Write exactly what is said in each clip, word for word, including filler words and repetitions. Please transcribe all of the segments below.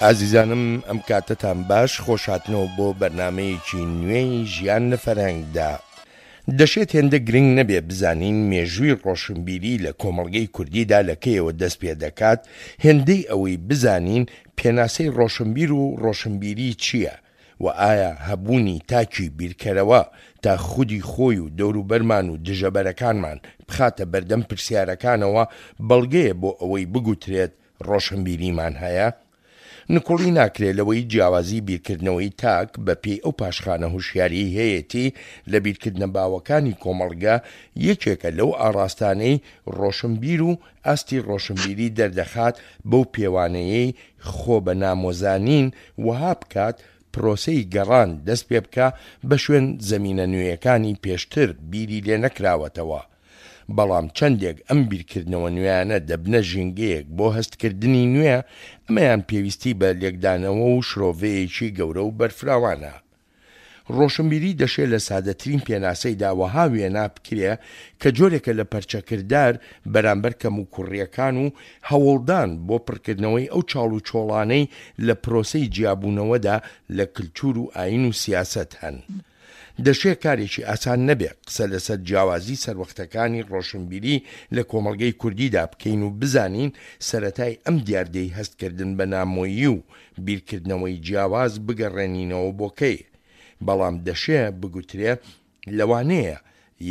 ئازیزانم ئەم کاتەتان باش، خۆشهاتنەوە بۆ بەرنامەیەکی نوێی ژیان لە فەرهەنگدا. دەشێت هێندە گرنگ نەبێ بزانین مێژووی ڕۆشنبیری لە کۆمەڵگەی کوردیدا لە کەیەوە دەست پێ دەکات، هێندەی ئەوەی بزانین پێناسەی ڕۆشنبیر و ڕۆشنبیری چییە و ئایا هەبوونی تاکی بیرکەرەوە تا خودی خۆی و دەوروبەرمان و دژەبەرەکانمان بخاتە بەردەم پرسیارەکانەوە بەڵگەیە بۆ ئەوەی بگوترێت ڕۆشنبیریمان هەیە؟ نکوڵی ناکرێ لەوەی جیاوازی بیرکردنەوەی تاک بە پێی ئەو پاشخانە هوشیاریەی هەیەتی لە بیرکردنە باوەکانی کۆمەڵگە یەکێکە لەو ئاڕاستانەی ڕۆشنبیر و ئاستی ڕۆشنبیری دەردەخات بەو پێوانەیەی خۆ بە نامۆزانین وەها بکات پرۆسەی گەڕان دەست پێبکا بە شوێن زەمینە نوێیەکانی پێشتر بیری لێنەکراوەتەوە. بەڵام چەندێک ئەم بیرکردنەوە نوێیانە دەبنە ژینگەیەک بۆ هەستکردنی نوێ، ئەمەیان پێویستی بە لێکدانەوە و شرۆڤەیەکی گەورە و بەرفراوانە. ڕۆشنبیری دەشێ لە سادەترین پێناسەیدا وەها وێنا بکرێ کە جۆرێکە لە پەرچەکردار بەرامبەر کەموکوڕییەکان و هەوڵدان بۆ پڕکردنەوەی ئەو چاڵوچۆڵانەی لە پرۆسەی جیابوونەوەدا لە کلتور و ئایین و سیاسەت هەن. دەشێ کارێکی ئاسان نەبێ قسە لەسەر جیاوازی سەروەختەکانی ڕۆشنبیری لە کۆمەڵگەی کوردیدا بکەین و بزانین سەرەتای ئەم دیاردەی هەستکردن بە نامۆیی و بیرکردنەوەی جیاواز بگەڕێنینەوە بۆ کەی، بەڵام دەشێ بگوترێ لەوانەیە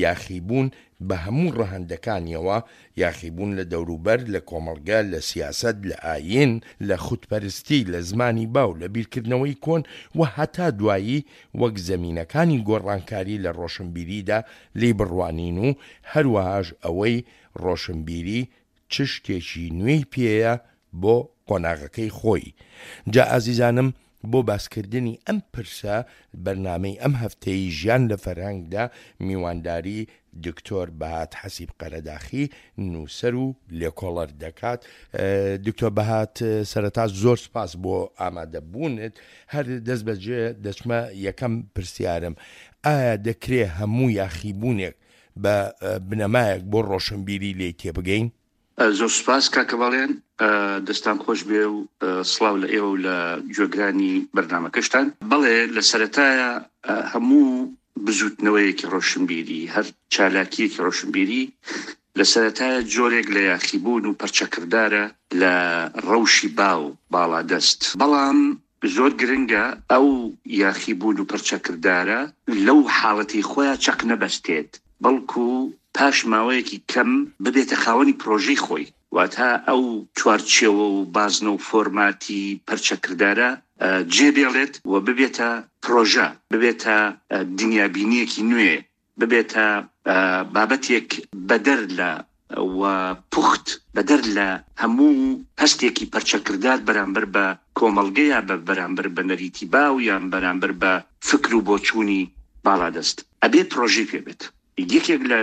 یاخیبوون بە هەموو ڕەهەندەکانیەوە، یاخیبوون لە دەوروبەر، لە کۆمەڵگە، لە سیاسەت، لە ئایین، لە خودپەرستی، لە زمانی باو، لە بیرکردنەوەی کۆن و هەتا دوایی وەک زەمینەکانی گۆڕانکاری لە ڕۆشنبیریدا لێی بڕوانین و هەروەهاش ئەوەی ڕۆشنبیری چ شتێکی نوێی پێیە بۆ قۆناغەکەی خۆی. جا ئازیزانم بۆ باسکردنی ئەم پرسە بەرنامەی ئەم هەفتەی ژیان لە فەرهەنگدا میوانداری دکتۆر بەهات حەسیب قەرەداخی نووسەر و لێکۆڵەر دەکات. دکتۆر بەهات سەرەتا زۆر سپاس بۆ ئامادەبوونت. هەر دەست بەجێ دەچمە یەکەم پرسیارم، ئایا دەکرێ هەموو یاخیبوونێک بە بنەمایەک بۆ ڕۆشنبیری لێی تێبگەین؟ زۆر سوپاس کاکە بەڵێن، دەستان خۆش بێ و سڵاو لە ئێوە و لە گوێگرانی بەرنامەکەشتان. بەڵێ، لە سەرەتایە هەموو بزوتنەوەیەکی ڕۆشنبیری، هەر چالاکیەکی ڕۆشنبیری لە سەرەتایە جۆرێک لە یاخیبوون و پەرچەکردارە لە ڕەوشی باو باڵادەست. بەڵام زۆر گرنگە ئەو یاخیبوون و پەرچەکردارە لەو حاڵەتی خۆیان چەق نەبەستێت، بەڵکو پاش ماوەیەکی کەم ببێتە خاوەنی پرۆژەی خۆی. واتە ئەو چوارچێوە و بازنە و فۆرماتی پەرچەکردارە جێ بێڵێت و ببێتە پرۆژە، ببێتە دنیابینیەکی نوێ، ببێتە بابەتێک بەدەر لە و پوخت، بەدەر لە هەموو هەستێکی پەرچەکردار بەرامبەر بە کۆمەڵگەیە، بە بەرامبەر بە نەریتی باو یان بەرامبەر بە فکر و بۆچوونی باڵادەست. ئەبێ پرۆژەی پێ بێت. یەکێک لە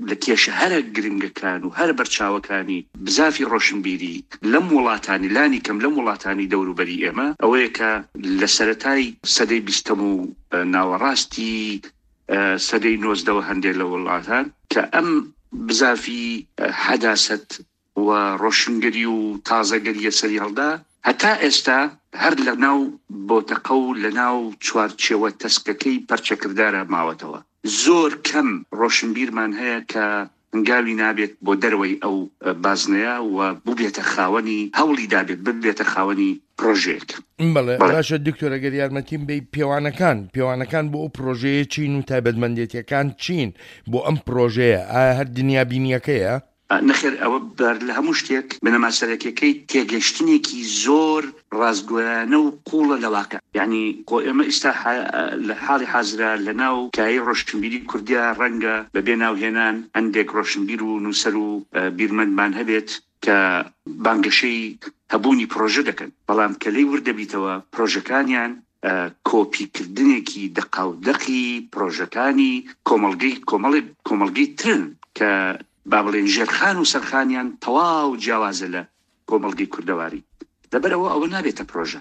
لە کێشە هەرە گرنگەکان و هەرە بەرچاوەکانی بزافی ڕۆشنبیری لەم وڵاتانی، لانی کەم لەم وڵاتانی دەوروبەری ئێمە، ئەوەیە کە لە سەرەتای سەدەی بیستەم و ناوەڕاستی سەدەی نۆزدەوە هەندێک لە وڵاتان کە ئەم بزافی حەداسەت و ڕۆشنگەری و تازەگەریە سەری هەڵدا، هەتا ئێستا هەر لە ناو بۆتەقە و لە ناو چوارچێوە تەسکەکەی پەرچەکردارە ماوەتەوە. زۆر کەم ڕۆشنبیرمان هەیە کە هەنگاوی نابێت بۆ دەرەوەی ئەو بازنەیە و ببێتە خاوەنی، هەوڵی دابێت ببێتە خاوەنی پرۆژەیەک. بەڵێ باشە دکتۆر، ئەگەر یارمەتیم بەی، پێوانەکان پێوانەکان بۆ ئەو پرۆژەیە چین و تایبەتمەندێتیەکان چین بۆ ئەم پرۆژەیە؟ ئایا هەر دنیابینیەکەیە؟ نەخێر، ئەوە بەر لە هەموو شتێک بنەما سەرەکیەکەی تێگەشتنێکی زۆر ڕاستگۆیانە و قوڵە لە واقع. یعنی خۆ ئێمە ئیستا لە حاڵی حازرە لە ناو کایەی ڕۆشنبیری کوردیا ڕەنگە بە بێ ناوهێنان هەندێک ڕۆشنبیر و نووسەر و بیرمەندمان هەبێت کە بانگەشەی هەبوونی پرۆژە دەکەن، بەڵام کە لێی ورد دەبیتەوە پرۆژەکانیان کۆپیکردنێکی دەقاودەقی پرۆژەکانی کۆمەڵگەی کۆمەڵی کۆمەڵگەی ترن کە با بڵێن ژێرخان و سەرخانیان تەواو جیاوازە لە کۆمەڵگەی کوردەواری. لەبەرەوە ئەوە نابێتە پرۆژە،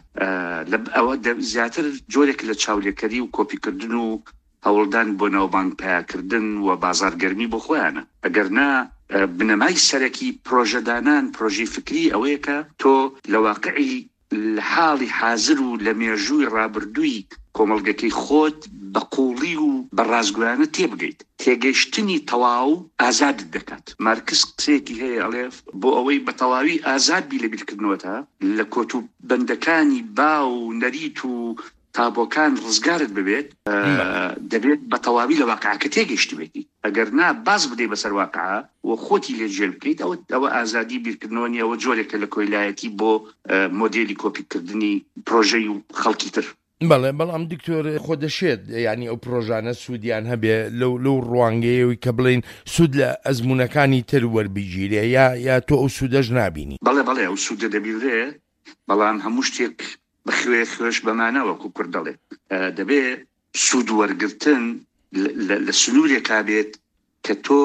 ئەوە زیاتر جۆرێک لە چاولێکەری و کۆپیکردن و هەوڵدان بۆ ناوبانگ پیاکردن و بازارگەرمی بۆ خۆیانە. ئەگەر نا بنەمای سەرەکی پرۆژەدانان، پرۆژەی فکری ئەوەیە کە تۆ لە واقعی لە حاڵی حازر و لە مێژووی ڕابردووی کۆمەڵگەکەی خۆت بە قوڵی و بە ڕاستگۆیانە تێبگەیت. تێگەیشتنی تەواو ئازادت دەکات. مارکس قسەیەکی هەیە ئەڵێ بۆ ئەوەی بە تەواوی ئازاد بی لە بیرکردنەوەتا لە کۆت و بەندەکانی باو و نەریت و تابۆکان ڕزگارت ببێت، دەبێت بە تەواوی لە واقعەکە تێگەیشتبێتی. ئەگەر نا باز بدەی بەسەر واقعە و خۆتی لێ جێل بکەیت، ئەوە ئەوە ئازادی بیرکردنەوە نییە، ئەوە جۆرێکە لە کۆیلایەتی بۆ مۆدێلی کۆپیکردنی پرۆژەی و خەڵکی تر. بەڵێ، بەڵام دکتۆر خۆ دەشێت یعنی ئەو پرۆژانە سوودیان هەبێ لەو لەو ڕوانگەیەوەی کە بڵین سوود لە ئەزمونەکانی تر وەربگیرێ، یا یا تۆ ئەو سوودەش نابینی؟ بەڵێ بەڵێ ئەو سوودە دەبینرێ، بەڵام هەموو شتێک بەخوێ خوێش بەمانە وەکو کورد دەڵێ دەبێ سوود وەرگرتن لە سنوورێکا بێت کە تۆ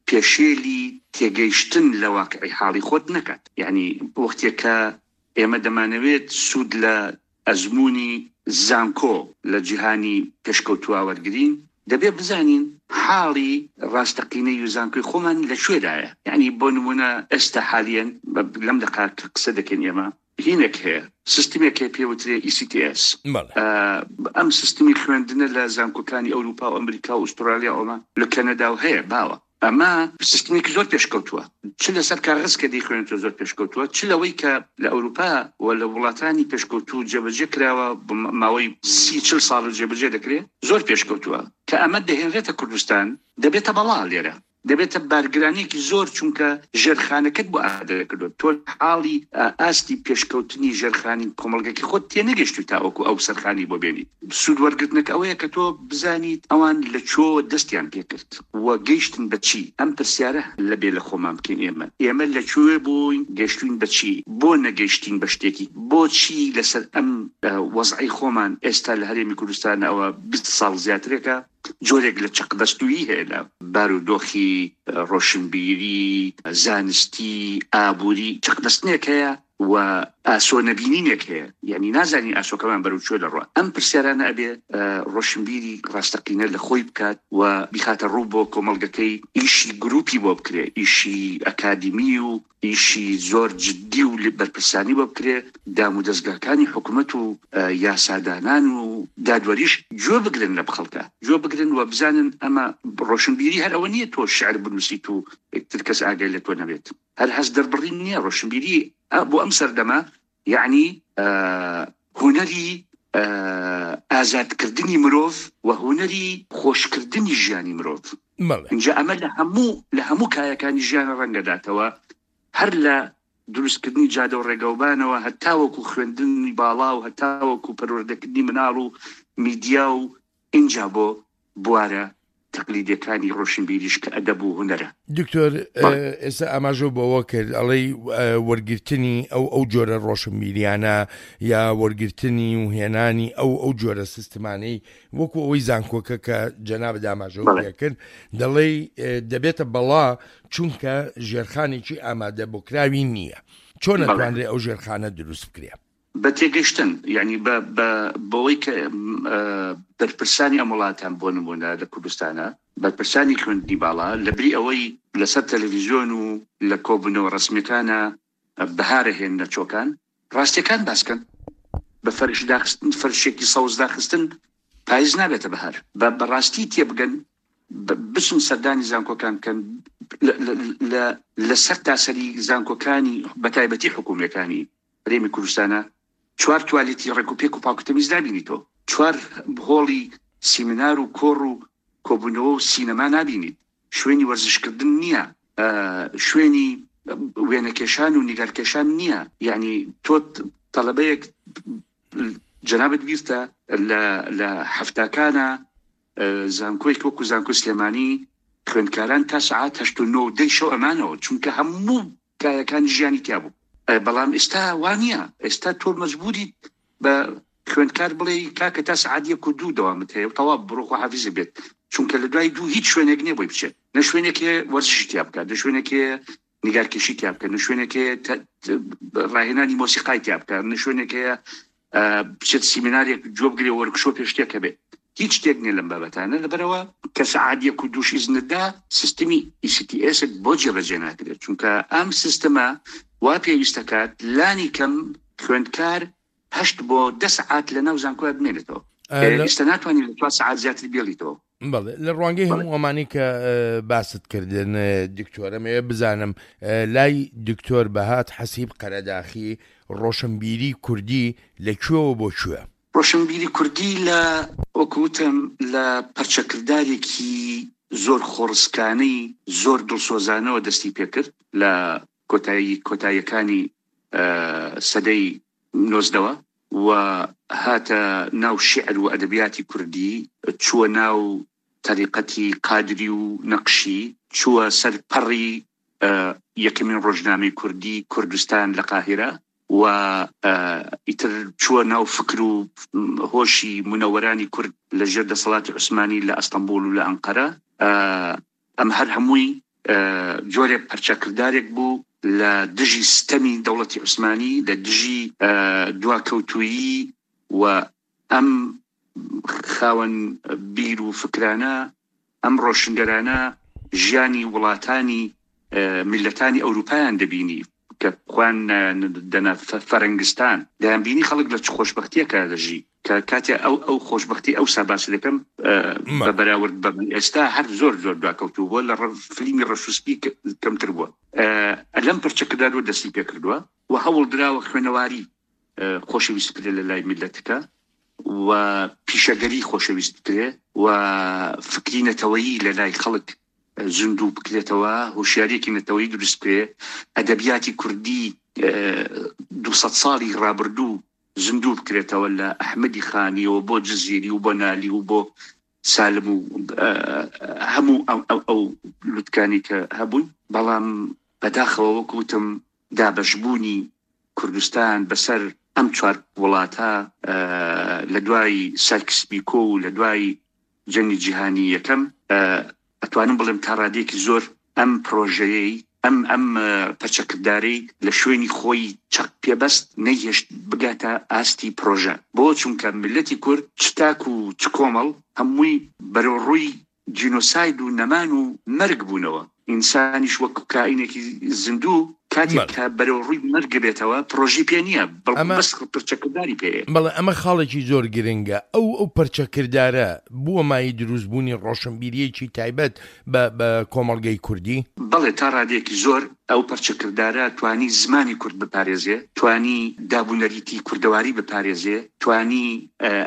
پێشێلی تێگەیشتن لە واقعی حاڵی خۆت نەکات. یعنی وەختێکە ئێمە دەمانەوێت سوود لە ئەزمموی زانکۆ لە جیهانی پێشکەوتووە وەرگین، دەبێ بزانین حاڵی ڕاستەقینەی و زانکۆی خۆمان لەکوێدایە. یعنی بۆ نمونە ئێستا حالیەن لەم دەقا کە قسە دەکەین ئێمە هینێک هەیە، سیستمێک هەیە پێوترێ ئی سی تی ئێس. ئەم سیستمی خوێندنە لە زانکۆکانی ئەوروپا و ئەمریکا و ئوسترالیا ئەومە لە کەنەدا و هەیە باوە. ئەمە سیستمێکی زۆر پێشکەوتووە، چ لەسەر کاغەز کە دەیخوێنێتەوە زۆر پێشکەوتووە، چ لەوەی کە لە ئەوروپا و لە وڵاتانی پێشکەوتوو جێبەجێ کراوە ماوەی سی چل ساڵ جێبەجێ دەکرێت، زۆر پێشکەوتووە. کە ئەمە دەهێنرێتە کوردستان دەبێتە بەڵا لێرە، دەبێتە بارگرانێکی زۆر، چونکە ژێرخانەکەت بۆ ئامادە کردووە. تۆ حاڵی ئاستی پێشکەوتنی ژێرخانی کۆمەڵگەکی خۆت تێنەگەشتوی تاوەکو ئەو سەرخانی بۆ بێنیت. سوود وەرگرتنەکە ئەوەیە کە تۆ بزانیت ئەوان لە چۆ دەستیان پێکرد و گەیشتن بە چی. ئەم پرسیارە لەبێ لە خۆمان بکەین. ئێمە ئێمە لە کوێ بووین، گەیشتوین بە چی، بۆ نەگەیشتین بە شتێکی، بۆچی لەسەر ئەم وەزعی خۆمان ئێستا لە هەرێمی کوردستان ئەوە بیست ساڵ زیاترێکە جۆرێک لە چەقبەستوویی هەیە لە بارودۆخی ڕۆشنبیری، زانستی، ئابووری، چەقبەستنێک هەیە و ئاسۆ نەبینینێک هەیە. یعنی نازانی ئاسۆکەمان بەرەو کوێ دەڕوا. ئەم پرسیارانە ئەبێ ڕۆشنبیری ڕاستەقینە لە خۆی بکات و بیخاتە ڕوو بۆ کۆمەڵگەکەی، ئیشی گروپی بۆ بکرێ، ئیشی ئەکادیمی و ئیشی زۆر جدی و بەرپرسانی بۆ بکرێ، دام و دەستگاکانی حکوومەت و یاسادانان و دادوەریش گوێ بگرن لە خەڵکە، گوێ بگرن و بزانن ئەمە ڕۆشنبیری هەر ئەوە نییە تۆ شعر بنووسیت و تر کەس ئاگای لە تۆ نەبێت، هەر هەست دەربڕین نییە. ڕۆشنبیری بۆ ئەم سەردەمە یعنی هونەری ئازادکردنی مرۆڤ و هونەری خۆشکردنی ژیانی مرۆڤ. اینجا ئەمە لە هەموو لە هەموو کایەکانی ژیان ڕەنگەداتەوە، هەر لە دروستکردنی جادە و ڕێگەوبانەوە هەتاوەکو خوێندنی باڵا و هەتاوەکو پەروەردەکردنی مناڵ و میدیا و ئینجا بۆ بوارە تەقلیدیەکانی ڕۆشنبیریش کە ئەدەب و هونەرە. دکتۆر ئێستا ئاماژە بەوە کرد ئەڵێی وەرگرتنی ئەو ئەو جۆرە ڕۆشنبیریانە یا وەرگرتنی و هێنانی ئەو ئەو جۆرە سیستمانەی وەکو ئەوەی زانکۆکە کە جەنابت ئاماژە پێ کرد، دەڵێی دەبێتە بەڵا چونکە ژێرخانێکی ئامادە بۆکراوی نییە. چۆن ئەتوانرێ ئەو ژێرخانە دروست بکرێ؟ بە تێگەشتن، یعنی بەوەی کە بەرپرسانی ئەم وڵاتان بۆ نمونە لە کوردستانە، بەرپرسانی خوێندنی باڵا لەبری ئەوەی لەسەر تەلەڤیزیۆن و لە کۆبوونەوە ڕسمیەکانە بەهارە هێننە چۆکان، ڕاستیەکان باسکەن. بە فەرش داخستن، فەرشێکی سەوز داخستن پاییز نابێتە بەهار. بەڕاستی تێبگەن، بچن سەردانی زانکۆکان بکەن، لەسەر تاسەری زانکۆکانی بەتایبەتی حکوومیەکانی هەرێمی کوردستانە چوار توالێتی ڕێکوپێک و پاکوتەمیز نابینیتەوە، چوار هۆڵی سیمینار و کۆڕ و کۆبوونەوە و سینەما نابینیت، شوێنی وەرزشکردن نییە، شوێنی وێنەکێشان و نیگارکێشان نییە. یعنی تۆ تەلەبەیەک جەنابت بیرتە لە هەفتاکانە زانکۆی وەکو زانکۆی سلێمانی خوێندکاران تا سەعات هەشت و نۆ و دەی شەو ئەمانەوە، چونکە هەموو کایەکانی ژیانی تیا بوو. بەڵام ئێستا وانە، ئێستا تۆ مەجبوریت بە خوێندکار بڵێ کاکە تا سەعات یەک و دوو دەوامت هەیە و تەواو بڕۆ خواحافیزە بێت، چونکە لە دوای دوو هیچ شوێنێک نییە بۆی بچێت، نە شوێنێک هەیە وەرزشی تیا بکات، نە شوێنێک هەیە نیگارکێشی تیا بکات، نە شوێنێک هەیە ڕاهێنانی مۆسیقای تیا بکات، نە شوێنێک هەیە بچێت سیمینارێک گوێ بگرێ وەرکشۆپ شتێک هەبێت. هیچ شتێک نییە لەم بابەتانە. لەبەرەوە کە سەعات یەک و دووش ئیزنتدا سیستمی ئی سی تی ئێس بۆ جێبەجێ ناکرێت، چونکە ئەم سیستمە وا پێویستەکات لانی کەم خوێندکار هەشت بۆ دە سەعات لە ناو زانکۆیا بمێنێتەوە. ئێستا ناتوانین لە چوار سەعات زیاتر بێڵیتەوە. بەڵێ، لە ڕوانگەی هەموو ئەمانەی کە باست کردن دکتۆرم ئێ بزانم لای دکتۆر بەهات حەسیب قەرەداخی ڕۆشنبیری کوردی لە کوێوە بۆ کوێ؟ ڕۆشنبیری کوردی لە وەکوتم لە پەرچەکردارێکی زۆر خۆڕسکانەی زۆر دڵسۆزانەوە دەستی پێکرد لە کۆتایی کۆتاییەکانی سەدەی نۆزدەوە و هاتە ناو شعر و ئەدەبیاتی کوردی، چووە ناو تەریقەتی قادری و نەقشی، چووە سەر پەڕی یەکەمین ڕۆژنامەی کوردی کوردستان لە قاهیرە و ئیتر چووە ناو فکر و هۆشی منەوەرانی کورد لە ژێر دەسەڵاتی عوسمانی لە ئەستەنبوڵ و لە ئەنقەرە. ئەم هەر هەمووی جۆرێک پەرچەکردارێک بوو لە دژی ستەمی دەوڵەتی عوسمانی، لە دژی دواکەوتویی و ئەم خاوەن بیر و فکرانە، ئەم ڕۆشنگەرانە ژیانی وڵاتانی میلەتانی ئەوروپایان دەبینی کە خۆیان دەنا فەرەنگستان، دەیانبینی خەڵک لە چ خۆشبەختیەکە دەژی کە کاتێ ئەو ئەو خۆشبەختی ئەو ساباسی دەکەم بە بەراورد بە من ئێستا هەر زۆر زۆر دواکەوتوو بووە، لە فلیمی ڕەشوسپی کەمتر بووە. لەم پرچەکردارەوە دەستی پێکردووە و هەوڵ دراوە خوێنەواری خۆشەویست بکرێت لە لای میلەتەکە و پیشەگەری خۆشەویست بکرێ و فکری نەتەوەیی لە لای خەڵک زیندوو بکرێتەوە، هۆشیاریەکی نەتەوەیی دروست بکرێ، ئەدەبیاتی کوردی دووسەد ساڵی ڕابردوو زیندوو بکرێتەوە لە ئەحمەدی خانیەوە بۆ جزیری و بۆ نالی و بۆ سالم و هەموو ئەو لوتکانی کە هەبوون. بەڵام بەداخەوە وەکو وتم دابەشبوونی کوردستان بەسەر ئەم چوار وڵاتە لە دوای سایکس بیکۆ و لە دوای جەنگی جیهانی یەکەم، ئەتوانم بڵێم تا ڕادەیەکی زۆر ئەم پرۆژەیەی ئەم ئەم پەرچەکردارەی لە شوێنی خۆی چەق پێبەست نەیهێشت بگاتە ئاستی پرۆژە. بۆ چونکە میلەتی کورد چ تاک و چ کۆمەڵ هەمووی بەرەو ڕووی جینۆساید و نەمان و مەرگ بوونەوە. ئینسانیش وەک کائینێکی زیندوو کاتێک کە بەرەو ڕووی مەرگ بێتەوە پرۆژەی پێ نییە، بەڵکو بەس پەرچەکرداری پێیە. بەڵێ، ئەمە خاڵێکی زۆر گرنگە. ئەو ئەو پەرچەکردارە بووە مایەی دروستبوونی ڕۆشنبیریەکی تایبەت بە کۆمەڵگەی کوردی؟ بەڵێ، تا ڕادەیەکی زۆر ئەو پەرچەکردارە توانی زمانی کورد بپارێزێ، توانی دابونەریتی کوردەواری بپارێزێ، توانی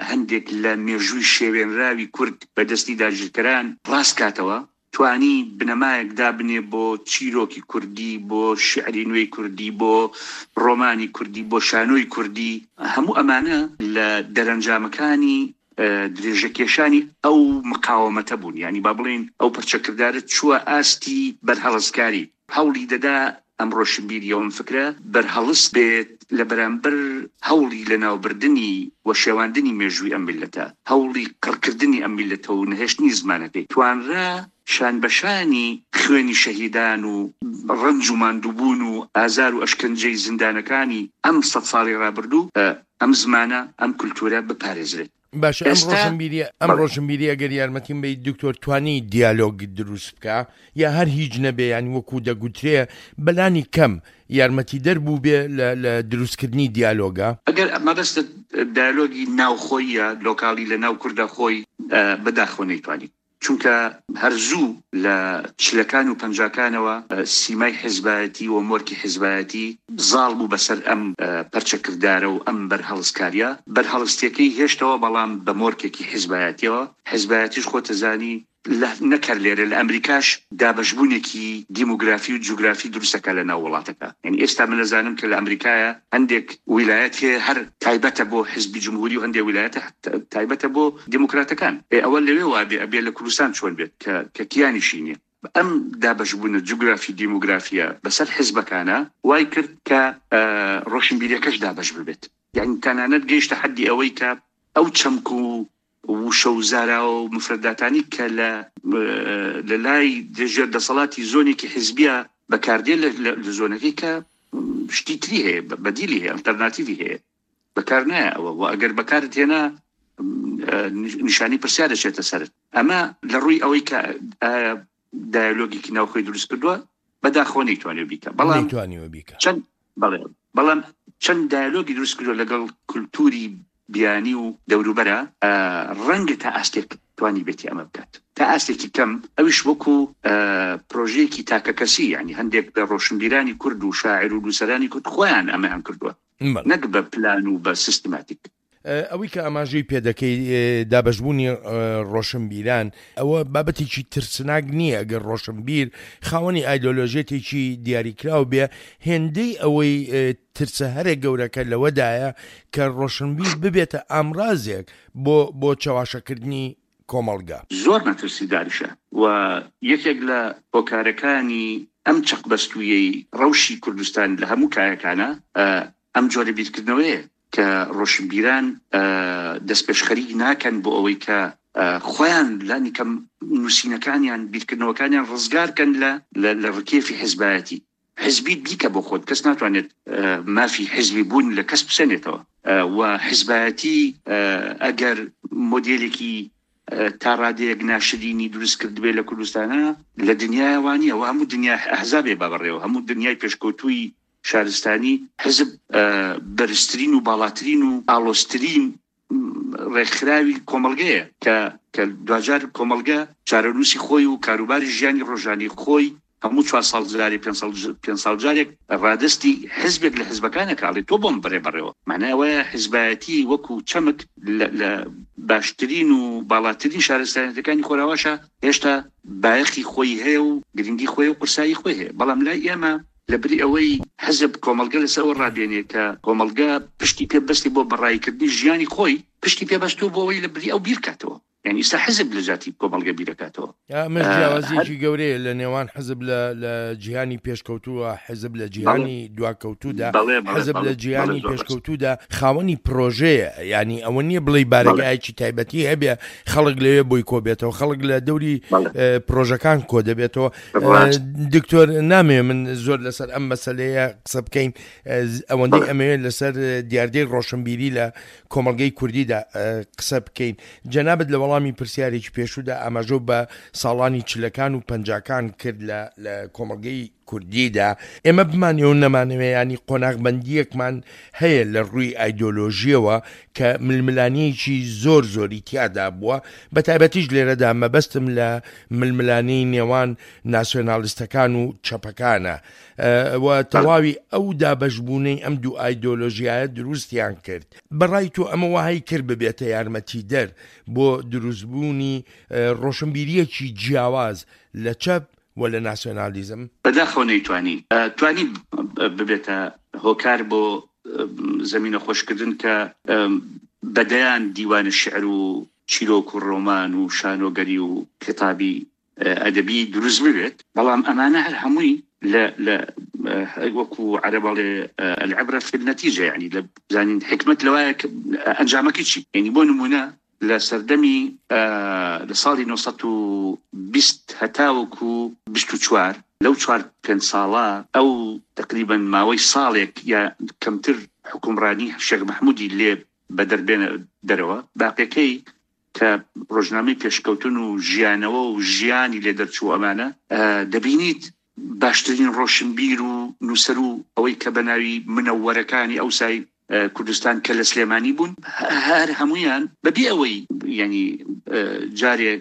هەندێک لە مێژووی شێوێنراوی کورد بەدەستی داگیرکەران ڕاست کاتەوە، توانی بنەمایەک دابنێ بۆ چیرۆکی کوردی، بۆ شعری نوێی کوردی، بۆ ڕۆمانی کوردی، بۆ شانۆی کوردی. هەموو ئەمانە لە دەرەنجامەکانی درێژەکێشانی ئەو مقاومەتە بوون. یعنی با بڵێین ئەو پەرچەکردارە چووە ئاستی بەرهەڵستکاری، هەوڵی دەدا ئەم ڕۆشنبیریەوە ئەم فکرە بەرهەڵست بێت لە بەرامبەر هەوڵی لەناوبردنی و شێواندنی مێژووی ئەم میلەتە، هەوڵی قڕکردنی ئەم میلەتە و نەهێشتنی زمانەکەی. توانرا شان بەشانی خوێنی شەهیدان و ڕەنج و ماندووبوون و ئازار و ئەشکەنجەی زیندانەکانی ئەم سەد ساڵی ڕابردوو ئەم زمانە، ئەم کولتوورە بپارێزرێت. باشە، ئەم ڕۆشنبیریە ئەم ڕۆشنبیریە ئەگەر یارمەتیم بەیت دکتۆر، توانی دیالۆگ دروست بکە یا هەر هیچ نەبێ، یان وەکو دەگوترێ بەلانی کەم یارمەتی دەربوو بێ لە دروستکردنی دیالۆگە؟ ئەگەر مەبەستت دیالۆگی ناوخۆیە لۆکالی لە ناو کوردە خۆی، بەداخەوە نەیتوانی، چونکە هەر زوو لە چلەکان و پەنجاکانەوە سیمای حیزبایەتی و مۆرکی حیزبایەتی زاڵ بوو بەسەر ئەم پەرچەکردارە و ئەم بەرهەڵستکاریە. بەرهەڵستیەکەی هێشتەوە بەڵام بە مۆرکێکی حیزبایەتیەوە. حیزبایەتیش خۆتەزانی نەکرد لێرە لە ئەمریکاش دابەشبوونێکی دیموگرافی و جوگرافی دروستەکە لە ناو وڵاتەکە. یعنی ئێستا من نەزانم کە لە ئەمریکایە هەندێک ویلایەت هەیە هەر تایبەتە بۆ حزبی جمهوری و هەندێک ویلایەتە تایبەتە بۆ دیموکراتەکان. ئەوە لەوێ وابێ ئەبێ لە کوردستان چۆن بێت کە کیانیشی نییە. ئەم دابەشبوونە جوگرافی دیموگرافیە بەسەر حزبەکانە وای کرد کە ڕۆشنبیریەکەش دابەش ببێت. یعنی تەنانەت گەیشتە حەدی ئەوەی کە ئەو چەمک و وشە و زاراوە و مفرەداتانی کە لە لای ژێر دەسەڵاتی زۆنێکی حیزبیە بەکاردێ لە زۆنەکەی کە شتی تری هەیە، بەدیلی هەیە، ئەلتەرناتیڤی هەیە، بەکار نایە ئەوە. و ئەگەر بەکارت هێنا نیشانی پرسیار دەچێتە سەرت. ئەمە لە ڕووی ئەوەی کە دیالۆگێکی ناوخۆی دروست کردووە بەداخەوە نەیتوانیوە بیکە، بەڵام چەند بەڵێ، بەڵام چەند دیالۆگی دروست کردووە لەگەڵ کولتوری بیانی و دەوروبەرە، ڕەنگە تا ئاستێک توانی بێتی ئەمە بکات، تا ئاستێکی کەم، ئەویش وەکو پرۆژەیەکی تاکەکەسی، یعنی هەندێک لە ڕۆشنبیرانی کورد و شاعر و نووسەرانی کورد خۆیان ئەمەیان کردووە، نەک بە پلان و بە سیستماتیک. ئەوەی کە ئاماژەی پێدەکەی دابەشبوونی ڕۆشنبیران، ئەوە بابەتێکی ترسناک نییە ئەگەر ڕۆشنبیر خاوەنی ئایدۆلۆژیەتێکی دیاریکراو بێ، هێندەی ئەوەی ترسە هەرێ گەورەکە لەوەدایە کە ڕۆشنبیر ببێتە ئامرازێک بۆ بۆ چەواشەکردنی کۆمەڵگا. زۆر مەترسیداریشە و یەکێک لە هۆکارەکانی ئەم چەقبەستوویەی ڕەوشی کوردستان لە هەموو کایەکانە ئەم جۆرە بیرکردنەوەیە کە ڕۆشنبیران دەستپێشخەری ناکەن بۆ ئەوەی کە خۆیان لانی کەم نووسینەکانیان بیرکردنەوەکانیان ڕزگارکەن لە لە ڕکێفی حزبایەتی. حزبی بیکە بۆ خۆت، کەس ناتوانێت مافی حزبی بوون لە کەس بسەنێتەوە و حزبایەتی ئەگەر مۆدێلێکی تا ڕادەیەک ناشرینی دروست کردبێ لە کوردستانە لە دنیای وانییە و هەموو دنیا ئەحزابێ با بەڕێوە، هەموو دنیای پێشکەوتووی شارستانی حزب بەرزترین و باڵاترین و ئاڵۆزترین ڕێکخراوی کۆمەڵگەیە کە کە دواجار کۆمەڵگە چارەنووسی خۆی و کاروباری ژیانی ڕۆژانی خۆی هەموو چوار ساڵ جارێک پێنج ساڵ جارێک ڕادستی حزبێک لە حزبەکانە کاڵێ تۆ بۆم بڕێ بەڕێوە. معنای ئەوەیە حزبایەتی وەکو چەمک لە باشترین و باڵاترین شارستانیەتەکانی خۆراواشە هێشتا بایەخی خۆی هەیە و گرنگی خۆی و قورسایی خۆی هەیە، بەڵام لای ئێمە لەبری ئەوەی حزب کۆمەڵگە لەسەر ڕابێنێ کە کۆمەڵگە پشتی پێبەستی بۆ بەڕایکردنی ژیانی خۆی، پشتی پێبەستوو بۆ ئەوەی لەبری ئەو بیرکاتەوە. یعنی ئێستا حزب لە جاتی کۆمەڵگە بیرەکاتەوە. ئەمەش جیاوازیەکی گەورەیە لە نێوان حزب لە جیهانی پێشکەوتووە، حزب لە جیهانی دواکەوتوودا. حزب لە جیهانی پێشکەوتوودا خاوەنی پرۆژەیە، یعنی ئەوە نییە بڵێ بارەگایەکی تایبەتی هەبێ خەڵک لەوێ بۆی کۆ بێتەوە، خەڵک لە دەوری پرۆژەکان کۆ دەبێتەوە. دکتۆر نامەوێ من زۆر لەسەر ئەم مەسەلەیە قسە بکەین، ئەوەندەی ئەمەوێت لەسەر دیاردەی ڕۆشنبیری لە کۆمەڵگەی کوردیدا قسە بکەین. جەنابت لە وەڵامی پرسیارێکی پێشوودا ئاماژە بە ساڵانی چلەکان و پەنجاکان کرد لە کۆمەڵگەی کوردیدا. ئێمە بمانەوە نەمانەوێ، ینی قۆناغبەندیەکمان هەیە لە ڕووی ئایدۆلۆژیەوە کە ململانیەکی زۆر زۆری تیادا بووە، بە تایبەتیش لێرەدا مەبەستم لە ململانی نێوان ناسیۆنالیستەکان و چەپەکانە و تەواوی ئەو دابەشبوونەی ئەم دوو ئایدۆلۆژیایە دروستیان کرد. بەڕای تۆ ئەمە وەهای کرد ببێتە یارمەتیدەر بۆ دروستبوونی ڕۆشنبیریەکی جیاواز لە چەپ و لە ناسیۆنالیزم؟ بەداخەوە نەیتوانی، توانی ببێتە هۆکار بۆ زەمینە خۆشکردن کە بەدەیان دیوانە شعر و چیرۆک و ڕۆمان و شانۆگەری و کتابی ئەدەبی دروست ببێت، بەڵام ئەمانە هەر هەمووی لە وەکو عەرەب ئەڵێ العبرة في النتيجة، یعنی لە بزانین حکمت لەوایە ئەنجامەکەی چی. یعنی بۆ نمونە لە سەردەمی لە ساڵی نۆسەد و بیست هەتاوەکو بیست و چوار، لەو چوار پێنج ساڵە ئەو تقریبا ماوەی ساڵێک یا کەمتر حکومڕانی شێخ مەحموودی لێ بەدەربێنە دەرەوە، باقیەکەی کە ڕۆژنامەی پێشکەوتن و ژیانەوە و ژیانی لێ دەرچوو ئەمانە، دەبینیت باشترین ڕۆشنبیر و نووسەر و ئەوەی کە بەناوی منەوەرەکانی ئەوسای کوردستان کە لە سلێمانی بوون، هەر هەمویان بەبێ ئەوەی ینی جارێ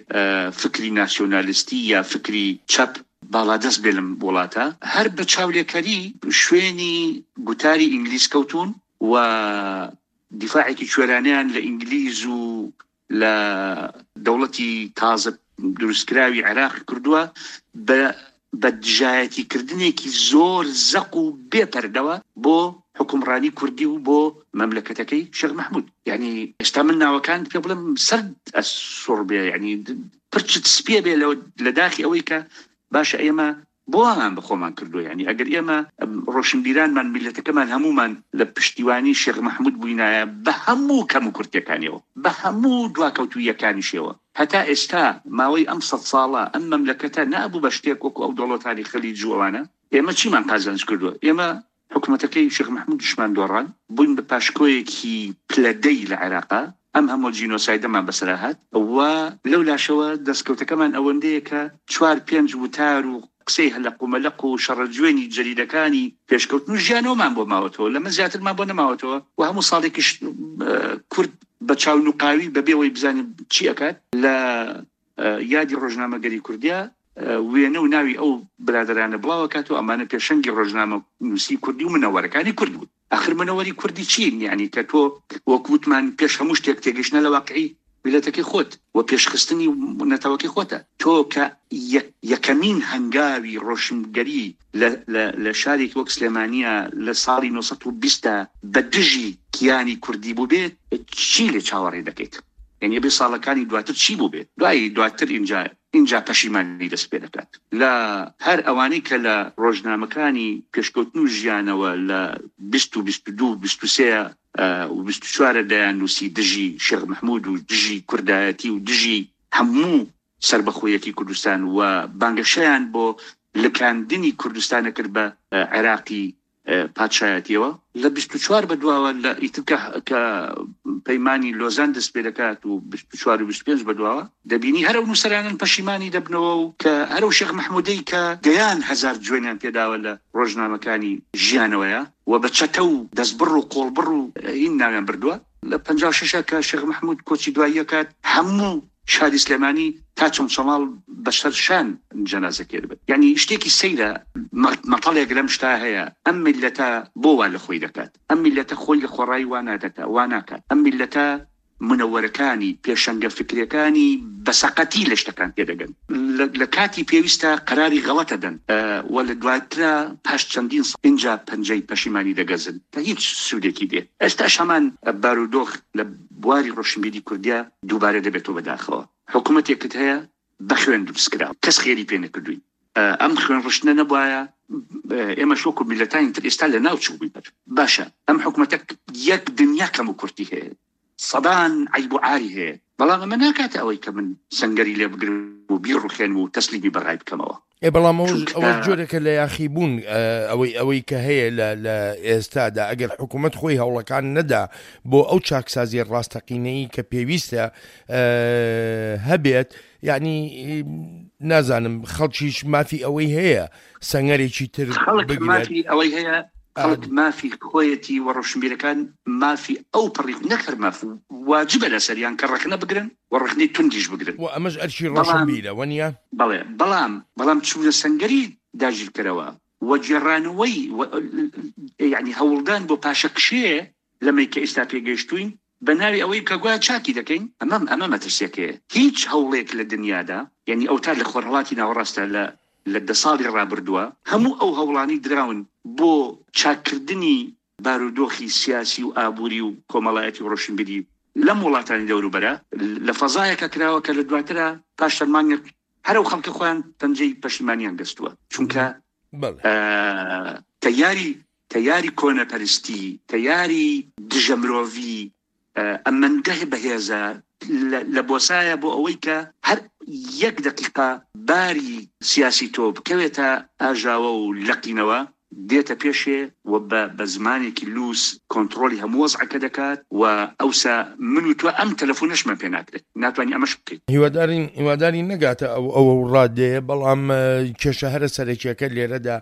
فکری ناسیۆنالیستی یا فکری چەپ باڵادەست بێ لەم وڵاتە، هەر بە چاولێکەری شوێنی گوتاری ئینگلیز کەوتون و دیفاعێکی کوێرانیان لە ئینگلیز و لە دەوڵەتی تازە دروستکراوی عێراق کردووە بە بە دژایەتیکردنێکی زۆر زەق و بێپەردەوە بۆ حکومڕانی کوردی و بۆ مەملەکەتەکەی شێخ مەحموود. یعنی ئێستا من ناوەکان پێ بڵێم سەرد ئەسوڕ بێ، یعنی پرچت سپێ بێ لە داخی ئەوەی کە باشە ئێمە بۆمان بە خۆمان کردووە. یعنی ئەگەر ئێمە ڕۆشنبیرانمان میلەتەکەمان هەمومان لە پشتیوانی شێخ مەحموود بووینایە بە هەموو کەم و کورتەکانیەوە، بە هەموو دواکەوتوویەکانیشەوە، هەتا ئێستا ماوەی ئەم سەد ساڵە ئەم مەملەکەتە نابوو بە شتێک وەکو ئەو دەوڵەتانی خەلیج و ئەوانە. ئێمە چیمان قازانج کردووە؟ ئێمە حکوومەتەکەی شێخ مەحموود دشمان دۆڕان، بووین بە پاشکۆیەکی پلەدەی لە عێراقا، ئەم هەموو جینۆسایدەمان بەسەرا هات و لەو لاشەوە دەستکەوتەکەمان ئەوەندەیە کە چوار پێنج وتار و قسەی هەلەق و مەلەق و شەڕەجوێنی جەریدەکانی پێشکەوتن و ژیانەوەمان بۆ ماوەتەوە، لەمە زیاترمان بۆ نەماوەتەوە. و هەموو ساڵێکیش کورد بە چاونوقاوی بەبێ ئەوەی بزانین چی ئەکات لە یادی ڕۆژنامەگەری کوردیا وێنە و ناوی ئەو برادرانە بڵاوەکات و ئەمانە پێشەنگی ڕۆژنامە نووسی کوردی و منەوەرەکانی کورد بوون. آخر منەوەری کوردی چین؟ یعنی کە تۆ وەک وتمان پێش هەموو شتێک تێگەیشتنە لە واقعی میللەتەکەی خۆت و پێشخستنی نەتەوەکەی خۆتە. تۆ کە یەکەمین هەنگاوی ڕۆشنگەری لە شارێکی وەک سلێمانیە لە ساڵی نۆ سەد و بیست بە دژی کیانی کوردی بوو بێت، چی لێ چاوەڕێ دەکەیت؟ یعنی ئەبێ ساڵەکانی دواتر چی بوو بێت؟ دوای دواتر ئینجا اینجا پەشیمانی دەست پێ دەکات. لە هەر ئەوانەی کە لە ڕۆژنامەکانی پێشکەوتن و ژیانەوە لە بیست و بیست و دوو بیست و سێ و بیست و چوارە دەیان نووسی دژی شێخ مەحموود و دژی کوردایەتی و دژی هەموو سەربەخۆیەتی کوردستان و بانگەشەیان بۆ لکاندنی کوردستانە کرد بە عێراقی پادشایەتیەوە. لە بیست و چوار بەدواوە لە ئیتر کە پەیمانی لۆزان دەست پێ دەکات و بیست و چوار و بیست و پێنج بەدواوە دەبینی هەر ئەو نووسەرانن پەشیمانی دەبنەوە و کە هەر ئەو شێخ مەحموودەی کە دەیان هەزار جوێنیان پێداوە لە ڕۆژنامەکانی ژیانەوەیە و بە چەتە و دەستبڕ و قۆڵبڕ و هین ناویان بردووە. لە پەنجا و شەشە کە شێخ مەحموود کۆچی دواییەکات هەموو شاری سلێمانی تا چەمچەماڵ بەسەر شان جەنازەکەی بێت. یعنی شتێکی سەیرە، مەتەڵێک لەم شتا هەیە، ئەم میللەتە بۆ وا لە خۆی دەکات، ئەم میللەتە خۆی لە خۆڕایی وا نادەکات، وا ناکات، ئەم میللەتە منەوەرەکانی پێشەنگە فکرەکانی بەسەقەتی لە شتەکان تێدەگەن، لە کاتی پێویستە قەراری غەڵەتە دەن و لە دواترا پاش چەندین ساڵ ئینجا پەنجەی پەشیمانی دەگەزن کە هیچ سوودێکی دێ. ئێستاش هەمان بارودۆخ لە بواری ڕۆشنبیری کوردیا دووبارە دەبێتەوە بەداخەوە. حکوومەتێکت هەیە بە خوێن دروستکراوە، کەس خێری پێ نەکردووی. ئەم خوێن ڕشتنە نەبوایە ئێمە وەکو میللەتانی تر ئێستا لە ناو چوو بووین. باشە ئەم حکوومەتە یەک دنیا کەم و کورتی هەیە، سەدان عەیب و عاری هەیە، بەڵام ئەمە ناکاتە ئەوەی کە من سەنگەری لێ بگرم و بیڕوخێنم و تەسلیمی بەغای بکەمەوە. ئێ بەڵام ئەوە جۆرێکە لە یاخیبوون ئەوەی ئەوەی کە هەیە لە ئێستادا، ئەگەر حکوومەت خۆی هەوڵەکان نەدا بۆ ئەو چاکسازی ڕاستەقینەی کە پێویستە هەبێت، یعنی نازانم خەڵکیش مافی ئەوەی هەیە سەنگەرێکی تر خەڵک مافی ئەوەی هەیە، خەڵک مافی خۆیەتی و ڕۆشنبیرەکان مافی ئەو پەڕی نەکەر ماف واجبە لەسەریان کە ڕەخنە بگرن و ڕەخنەی توندیش بگرن و ئەمەش ئەرکی ڕۆشنبیرە وەنیە؟ بەڵێ، بەڵام بەڵام چوونە سەنگەری داگیرکەرەوە و گێڕانەوەی یعنی هەوڵدان بۆ پاشەکشێ لەمەی کە ئێستا پێگەیشتوین بە ناوی ئەوەی کە گوایە چاکی دەکەین، ئەمە ئەمە مەترسیەکەیە. هیچ هەوڵێک لە دنیادا، یعنی ئەو تا لە خۆرهەڵاتی ناوەڕاستە لە لە دە ساڵی ڕابردووە هەموو ئەو هەوڵانی دراون بۆ چاککردنی بارودۆخی سیاسی و ئابووری و کۆمەڵایەتی و ڕۆشنبیری لەم وڵاتانی دەوروبەرە لە فەزایەکە کراوە کە لە دواترە پاش چەند مانگێک هەر ئەو خەڵکە خۆیان پەنجەی پەشیمانیان گەستووە، چونکە تەیاری تەیاری کۆنەپەرستی، تەیاری دژە مرۆڤی ئەمەندە بەهێزە لە بۆسایە بۆ ئەوەی کە هەر یەک دقیقە باری سیاسی تۆ بکەوێتە ئاژاوە و لەقینەوە دێتە پێشێ و بە زمانێکی لوس کۆنترۆڵی هەموو وەزعەکە دەکات و ئەوسا من و تۆ ئەم تەلەفۆنەشمان پێ ناکرێت، ناتوانانی ئەمەش بکەیت. هیوادارین هیوادارین نەگاتە ئەو ئەو ڕادەیە، بەڵام کێشە هەرە سەرەکیەکە لێرەدا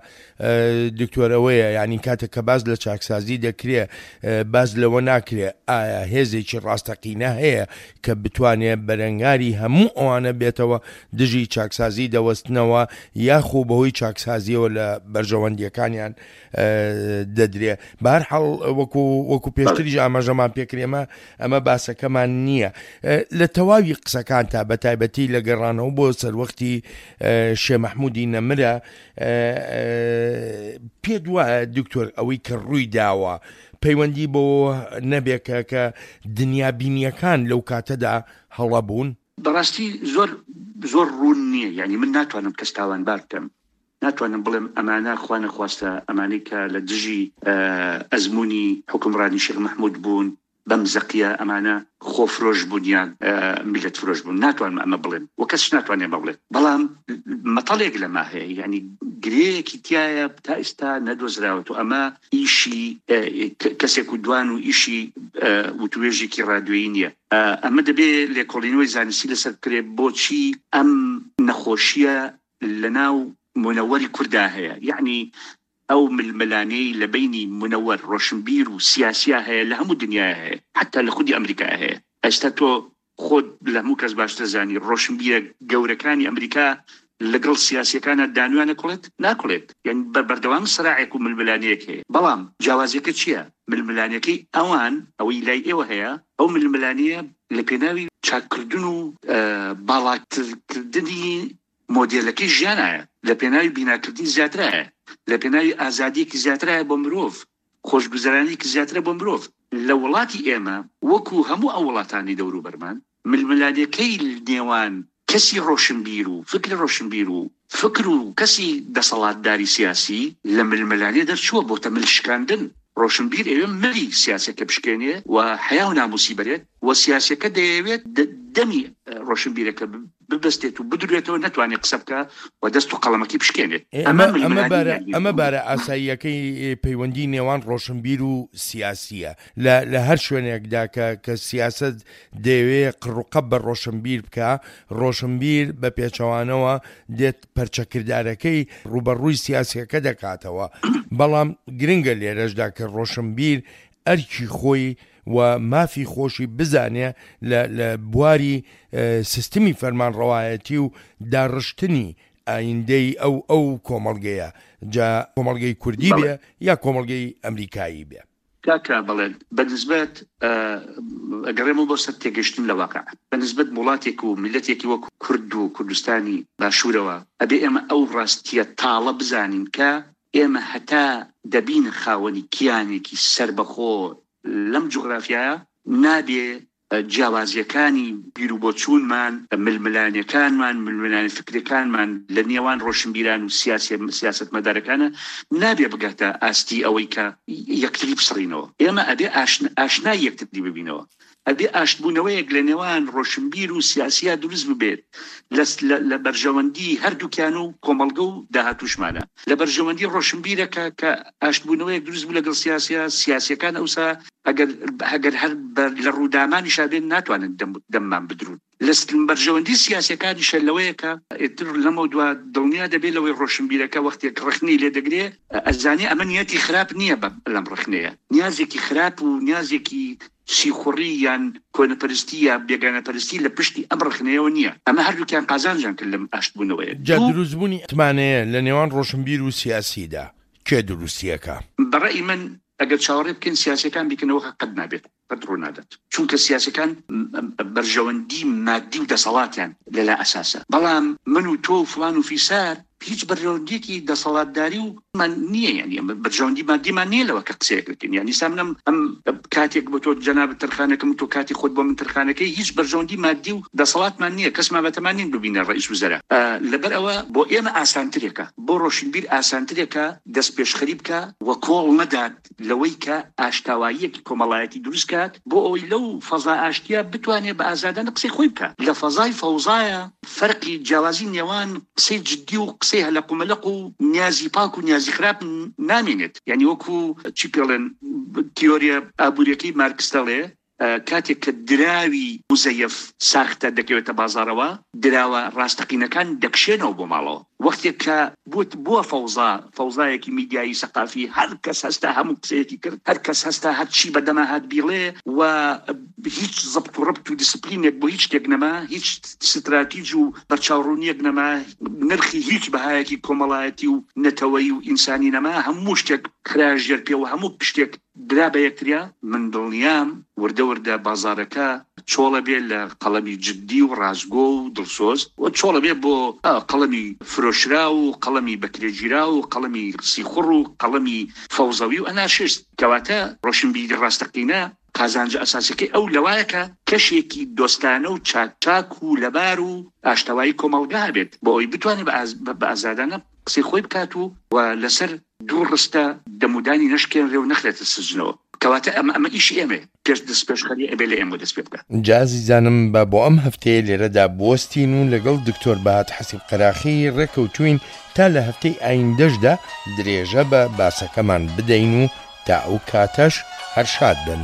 دکتۆرەوەیە، یعنی کاتێک کە باز لە چاکسازی دەکرێ باز لەوە ناکرێ ئایا هێزێکی ڕاستەقینە هەیە کە بتوانێت بەرەنگاری هەموو ئەوانە بێتەوە دژی چاکسازی دەوەستنەوە یاخۆ بەهۆی چاکسازیەوە لە بەرژەوەندیەکانیان دەدرێ. بەهەرحاڵ وەکو وەکو پێشتریش ئاماژەمان پێکرێمە ئەمە باسەکەمان نییە. لە تەواوی قسەکان تا بە تایبەتی لە گەڕانەوە بۆ سەروەختی شێ مەحموودی نەمرە، پێت وایە دکتۆر ئەوەی کە ڕووی داوە پەیوەندی بۆ نەبێکە کە دنیابینیەکان لەو کاتەدا هەڵە بوون؟ بەڕاستی زۆر زۆر ڕوون نییە، یعنی من ناتوانم کەس تاوانبار بکەم، ناتوانم بڵێم ئەمانە خوا نەخواستە ئەمانەی کە لە دژی ئەزمموی حکومڕانی شێخ مەحموود بوون بەم زەقیە ئەمانە خۆفرۆش بوون یان میلەت فرۆش بوون، ناتوانم ئەمە بڵێم و کەس ناتوانێت ئەمە بڵێت. بەڵام مەتەڵێک لەما هەیە، یعنی گرەیەکی تایە تا ئێستا نەدۆزراوەتەوە. ئەمە ئیشی کەسێک و دوان و ئیشی وتوێژێکی ڕادیۆیی نییە. ئەمە دەبێت لێکۆڵینەوەی زانستی لەسەر بکرێت بۆچی ئەم نەخۆشیە لەناو منەوەری کوردا هەیە، یعنی ئەو ململانێی لە بینی منەوەر ڕۆشنبیر و سیاسیا هەیە لە هەموو دنیایا هەیە، حتا لە خودی ئەمریکا هەیە. ئێستا تۆ خۆت لە هەموو کەس باشتر زانی ڕۆشنبیرە گەورەکانی ئەمریکا لەگەڵ سیاسیەکانە دانویان نەکوڵێت ناکوڵێت، یعنی بەردەوام سەراعێک و ململانێیەک هەیە. بەڵام جیاوازیەکە چییە؟ ململانێکەی ئەوان ئەوەی لای ئێوە هەیە، ئەو ململانێیە لە پێناوی چاککردن و باڵاترکردنی مۆدێلەکەی ژیانایە، لە پێناوی بیناکردنی زیاترایە، لە پێناوی ئازادیەکی زیاترایە بۆ مرۆڤ، خۆشگوزەرانیەکی زیاترە بۆ مرۆڤ. لە وڵاتی ئێمە وەکو هەموو ئەو وڵاتانی دەوروبەرمان ململانێکەی نێوان کەسی ڕۆشنبیر و فکر ڕۆشنبیر و فکر و کەسی دەسەڵاتداری سیاسی لە ململانێ دەرچووە بۆتە مل شکاندن. ڕۆشنبیر ئەوێ ملی سیاسەکە بشکێنێ و حەیا و ناموسی بەرێت و سیاسەکە دەیەوێت دەمی ڕۆشنبیرەکە ببەستێت و بدرێتەوە نەتوانێت قسە بکە و دەست و قەڵەمەکەی بشکێنێت. ئەمە بارە ئاساییەکەی پەیوەندی نێوان ڕۆشنبیر و سیاسیە لە هەر شوێنێکدا کە کە سیاست دەیەوێ قڕوقەب بە ڕۆشنبیر بکە، ڕۆشنبیر بە پێچەوانەوە دێت پەرچەکردارەکەی ڕوبەڕووی سیاسیەکە دەکاتەوە. بەڵام گرنگە لێرەشدا کە ڕۆشنبیر ئەرکی خۆی و مافی خۆشی بزانێ لە بواری سیستمی فەرمانڕەوایەتی و داڕشتنی ئایندەی ئەو ئەو کۆمەڵگەیە، جا کۆمەڵگەی کوردی بێ یا کۆمەڵگەی ئەمریکایی بێ. کاکە بەڵێن بەنسبەت ئەگەڕێمەوە بۆ سەر تێگەشتن لە واقع، بەنسبەت وڵاتێک و میللەتێکی وەک کورد و کوردستانی باشوورەوە ئەبێ ئێمە ئەو ڕاستیە تاڵە بزانین کە ئێمە هەتا دەبین خاوەنی کیانێکی سەربەخۆ لەم جوگرافیایە، نابێ جیاوازیەکانی بیروبۆچوونمان، ململانەکانمان، ململانێ فکرەکانمان لە نێوان ڕۆشنبیران و سیاسی سیاسەتمەدارەکانە نابێ بگاتە ئاستی ئەوەی کە یەکتری بسڕینەوە. ئێمە ئەبێ ئاشنای یەکتری ببینەوە، ئەبێ ئاشتبوونەوەیەک لە نێوان ڕۆشنبیر و سیاسیا دروست ببێت لە بەرژەوەندی هەردووکیان و کۆمەڵگە و داهاتوشمانە. لە بەرژەوەندی ڕۆشنبیرەکە کە ئاشتبوونەوەیەک دروست بوو لەگەڵ سیاسیا، سیاسیەکان ئەوسا ئەگەر ئەگەر هەر لە ڕوودامانیشا بێن ناتوانن دەممان بدرون. لە بەرژەوەندی سیاسیەکانیشە لەوەیە کە ئیتر لەمەو دوا دڵنیا دەبێت لەوەی ڕۆشنبیرەکە وەختێک ڕخنەی لێ دەگرێ ئەزانێ ئەمە نیەتی خراپ نییە لەم ڕخنەیە، نیازێکی خراپ و نیازێکی سیخوڕی یان کۆنەپەرستی یا بێگانەپەرستی لە پشتی ئەم ڕخنەیەوە نییە. ئەمە هەردووکیان قازانجیان کرد لەم ئاشتبوونەوەیە. جا دروستبوونی متمانەیە لە نێوان ڕۆشنبیر و سیاسیدا کێ دروستیەکە؟ بەڕەئی من ئەگەر چاوەڕێ بکەین سیاسیەکان بیکەنەوە قەت نابێت، قەت ڕوو نادات، چونکە سیاسەکان بەرژەوەندی مادی و دەسەڵاتیان لەلا ئەساسە. بەڵام من و تۆ و فلان و فیسار هیچ بەرژەوەندیەکی دەسەڵاتداری و من نییە، یعنی بەرژەوەندی مادیمان نییە لەوە کە قسەیەک بکەین. یعنی سا منم ئەم کاتێک بۆ تۆ جەنابت ترخانەکەم و تۆ کاتی خۆت بۆ من ترخانەکەی، هیچ بەرژەوەندی مادی و دەسەڵاتمان نییە، کەسمان بەتەمان نین ببینە ڕئیس وزەرا. لەبەر ئەوە بۆ ئێمە ئاسانترێکە، بۆ ڕۆشنبیر ئاسانترێکە دەست پێشخەری بکە و کۆڵ نەدات لەوەی کە ئاشتاواییەکی کۆمەڵایەتی دروست کات بۆ ئەوەی لەو فەزا ئاشتیە بتوانێت بە ئازادانە قسەی خۆی بکات. لە فەزای فەوزایە فەرقی جیاوازی نێوان قسەی جدی و قسەی هەلەق و مەلەق و نیازی پاک و نیازی خراپ نامێنێت. یعنی وەکو چی پێڵێن تیۆریە ئابووریەکەی مارکس دەڵێ کاتێک کە دراوی مزەیەف ساختە دەکەوێتە بازارەوە، دراوە ڕاستەقینەکان دەکشێنەوە بۆ ماڵەوە. وەختێک کە بووە فەوزا، فەوزایەکی میدیایی سەقافی، هەر کەس هەستا هەموو قسەیەکی کرد، هەر کەس هەستا هەرچی بەدەما هات بیڵێ و هیچ زەبت و ڕبت و دیسپلینێک بۆ هیچ شتێک نەما، هیچ ستراتیج و بەرچاوڕوونیەک نەما، نرخی هیچ بەهایەکی کۆمەڵایەتی و نەتەوەیی و ئینسانی نەما، هەموو شتێک خرا ژێر پێ و هەموو شتێک درا بە یەکتریا. من دڵنیام وردە وردە بازارەکە چۆڵە بێ لە قەڵەمی جدی و ڕاستگۆ و دڵسۆز و چۆڵە بێ بۆ قەڵەمی فرۆشرا و قەڵەمی بەکرێگیرا و قەڵەمی سیخوڕ و قەڵەمی فەوزەوی و ئەنارشیست. کەواتە ڕۆشنبیری ڕاستەقینە قازانجە ئەساسەکەی ئەو لەوایە کە کەشێکی دۆستانە و چاک و لەبار و ئاشتەوایی کۆمەڵگا هەبێت بۆ ئەوەی بتوانێت بە ئازادانە قسەی خۆی بکات و لەسەر دوو ڕستە دەمودانی نەشکێنرێ و نەخرێتە سجنەوە. کەواتە ئەمە ئەمە ئیشی ئێمەیە، پێش دەست پێشخەری ئەبێ لە ئێمە دەست پێ بکات. جا ئازیزانم با بۆ ئەم هەفتەیە لێرەدا بوەستین و لەگەڵ دکتۆر بەهات حەسیب قەراخی ڕێکەوتوین تا لە هەفتەی ئایندەشدا درێژە بە باسەکەمان بدەین و تا ئەو کاتەش هەر شاد بن.